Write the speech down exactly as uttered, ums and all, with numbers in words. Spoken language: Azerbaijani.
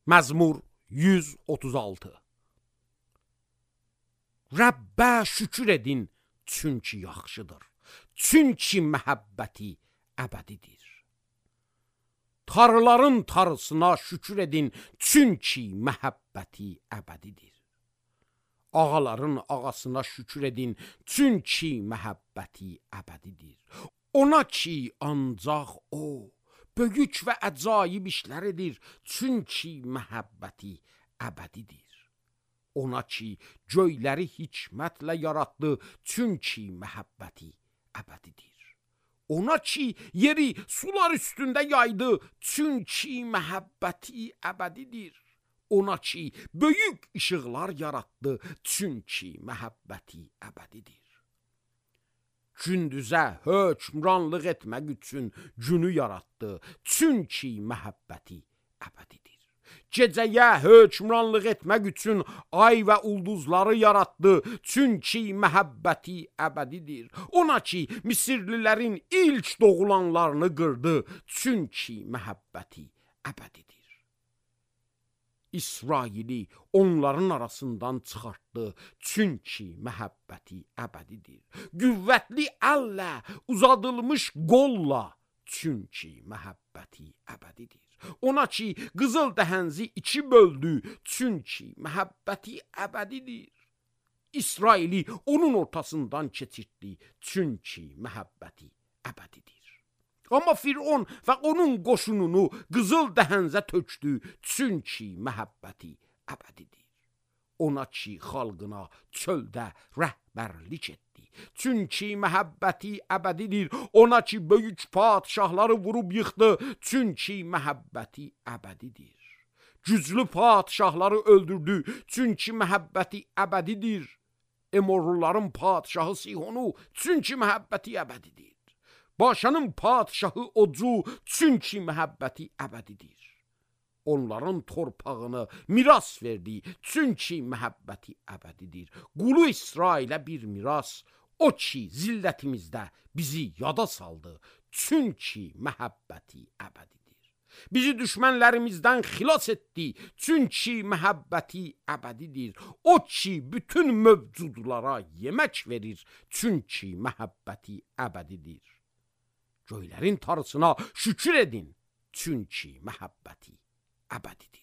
Məzmur yüz otuz altı. Rəbbə şükür edin, çünki yaxşıdır, çünki məhəbbəti əbədidir. Tarıların tarısına şükür edin, çünki məhəbbəti əbədidir. Ağaların ağasına şükür edin, çünki məhəbbəti əbədidir. Ona ki, ancaq o, böyük və əcaib işlər edir, çünki məhəbbəti əbədidir. Ona ki, göyləri hikmətlə yaratdı, çünki məhəbbəti əbədidir. Ona ki, yeri sular üstündə yaydı, çünki məhəbbəti əbədidir. Ona ki, böyük işıqlar yaratdı, çünki məhəbbəti əbədidir. Gündüzə hökmranlıq etmək üçün günü yaratdı, çünki məhəbbəti əbədidir. Gecəyə hökmranlıq etmək üçün ay və ulduzları yaratdı, çünki məhəbbəti əbədidir. Ona ki, Misirlilərin ilk doğulanlarını qırdı, çünki məhəbbəti əbədidir. İsraili onların arasından çıxartdı, çünki məhəbbəti əbədidir. Qüvvətli əllə, uzadılmış qolla, çünki məhəbbəti əbədidir. Ona ki, qızıl dəhənzi iki böldü, çünki məhəbbəti əbədidir. İsraili onun ortasından keçirtdi, çünki məhəbbəti əbədidir. Amma Firon və onun qoşununu qızıl dəhənzə tökdü, çünki məhəbbəti əbədidir. Ona ki, xalqına çöldə rəhbərlik etdi, çünki məhəbbəti əbədidir. Ona ki, böyük padşahları vurub yıxdı, çünki məhəbbəti əbədidir. Güclü padşahları öldürdü, çünki məhəbbəti əbədidir. Emorluların padşahı Sihonu, çünki məhəbbəti əbədidir. Başanın padşahı Ocu, çünki məhəbbəti əbədidir. Onların torpağını miras verdi, çünki məhəbbəti əbədidir. Qulu İsrailə bir miras, o ki, zillətimizdə bizi yada saldı, çünki məhəbbəti əbədidir. Bizi düşmənlərimizdən xilas etdi, çünki məhəbbəti əbədidir. O ki, bütün mövcudlara yemək verir, çünki məhəbbəti əbədidir. Göylərin tarısına şükür edin, çünki məhəbbəti əbədidir.